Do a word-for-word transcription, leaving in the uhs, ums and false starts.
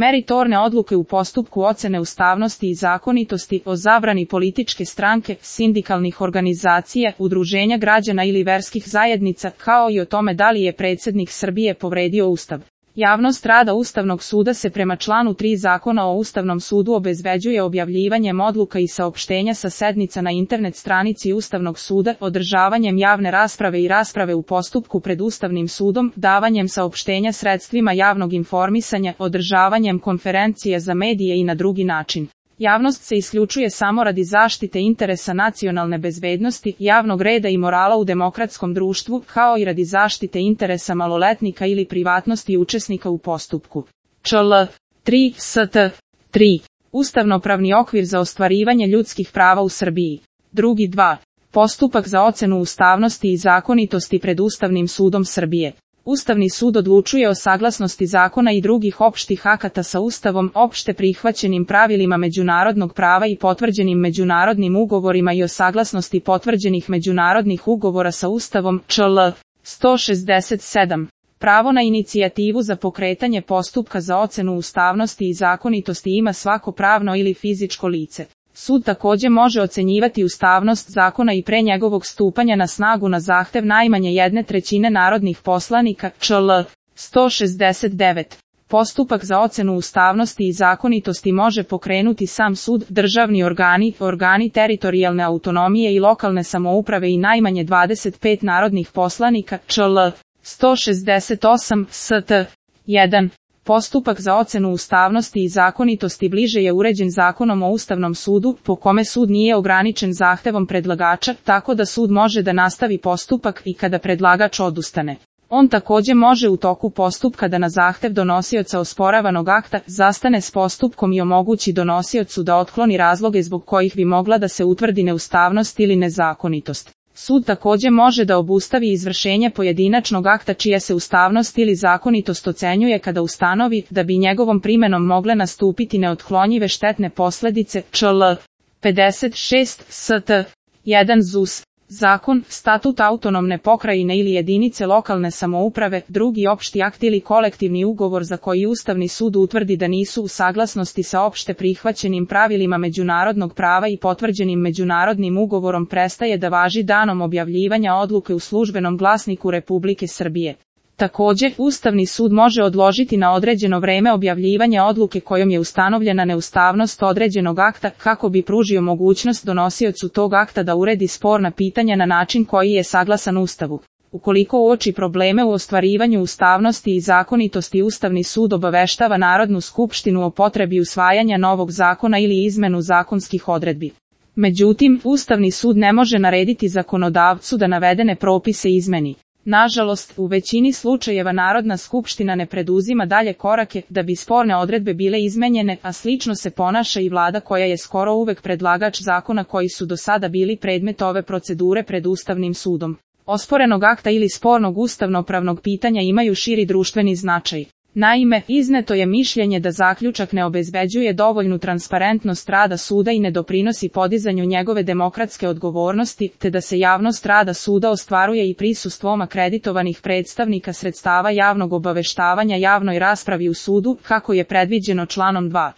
Meritorne odluke u postupku ocene ustavnosti i zakonitosti o zabrani političke stranke, sindikalnih organizacija, udruženja građana ili verskih zajednica, kao i o tome da li je predsjednik Srbije povredio Ustav. Javnost rada Ustavnog suda se prema članu tri Zakona o Ustavnom sudu obezbeđuje objavljivanjem odluka i saopštenja sa sednica na internet stranici Ustavnog suda, održavanjem javne rasprave i rasprave u postupku pred Ustavnim sudom, davanjem saopštenja sredstvima javnog informisanja, održavanjem konferencije za medije i na drugi način. Javnost se isključuje samo radi zaštite interesa nacionalne bezbednosti, javnog reda i morala u demokratskom društvu, kao i radi zaštite interesa maloletnika ili privatnosti učesnika u postupku. Čl. tri St. tri. Ustavnopravni okvir za ostvarivanje ljudskih prava u Srbiji. Drugi dva. Postupak za ocenu ustavnosti i zakonitosti pred Ustavnim sudom Srbije. Ustavni sud odlučuje o saglasnosti zakona i drugih opštih akata sa Ustavom, opšte prihvaćenim pravilima međunarodnog prava i potvrđenim međunarodnim ugovorima i o saglasnosti potvrđenih međunarodnih ugovora sa Ustavom. Čl. sto šezdeset sedam. Pravo na inicijativu za pokretanje postupka za ocenu ustavnosti i zakonitosti ima svako pravno ili fizičko lice. Sud takođe može ocenjivati ustavnost zakona i pre njegovog stupanja na snagu na zahtev najmanje jedne trećine narodnih poslanika. Čl. sto šezdeset devet. Postupak za ocenu ustavnosti i zakonitosti može pokrenuti sam sud, državni organi, organi teritorijalne autonomije i lokalne samouprave i najmanje dvadeset pet narodnih poslanika. Čl. sto šezdeset osam. St. jedan. Postupak za ocenu ustavnosti i zakonitosti bliže je uređen Zakonom o Ustavnom sudu, po kome sud nije ograničen zahtevom predlagača, tako da sud može da nastavi postupak i kada predlagač odustane. On takođe može u toku postupka da na zahtev donosioca osporavanog akta zastane s postupkom i omogući donosiocu da otkloni razloge zbog kojih bi mogla da se utvrdi neustavnost ili nezakonitost. Sud takođe može da obustavi izvršenje pojedinačnog akta čija se ustavnost ili zakonitost ocenjuje kada ustanovi da bi njegovom primenom mogle nastupiti neotklonjive štetne posledice. Čl. pedeset šest. St. jedan. Z U S. Zakon, statut autonomne pokrajine ili jedinice lokalne samouprave, drugi opšti akt ili kolektivni ugovor za koji Ustavni sud utvrdi da nisu u saglasnosti sa opšte prihvaćenim pravilima međunarodnog prava i potvrđenim međunarodnim ugovorom prestaje da važi danom objavljivanja odluke u Službenom glasniku Republike Srbije. Takođe, Ustavni sud može odložiti na određeno vreme objavljivanje odluke kojom je ustanovljena neustavnost određenog akta, kako bi pružio mogućnost donosiocu tog akta da uredi sporna pitanja na način koji je saglasan Ustavu. Ukoliko uoči probleme u ostvarivanju ustavnosti i zakonitosti, Ustavni sud obaveštava Narodnu skupštinu o potrebi usvajanja novog zakona ili izmenu zakonskih odredbi. Međutim, Ustavni sud ne može narediti zakonodavcu da navedene propise izmeni. Nažalost, u većini slučajeva Narodna skupština ne preduzima dalje korake da bi sporne odredbe bile izmenjene, a slično se ponaša i vlada koja je skoro uvek predlagač zakona koji su do sada bili predmet ove procedure pred Ustavnim sudom. Osporenog akta ili spornog ustavnopravnog pitanja imaju širi društveni značaj. Naime, izneto je mišljenje da zaključak ne obezbeđuje dovoljnu transparentnost rada suda i ne doprinosi podizanju njegove demokratske odgovornosti, te da se javnost rada suda ostvaruje i prisustvom akreditovanih predstavnika sredstava javnog obaveštavanja javnoj raspravi u sudu, kako je predviđeno članom dva.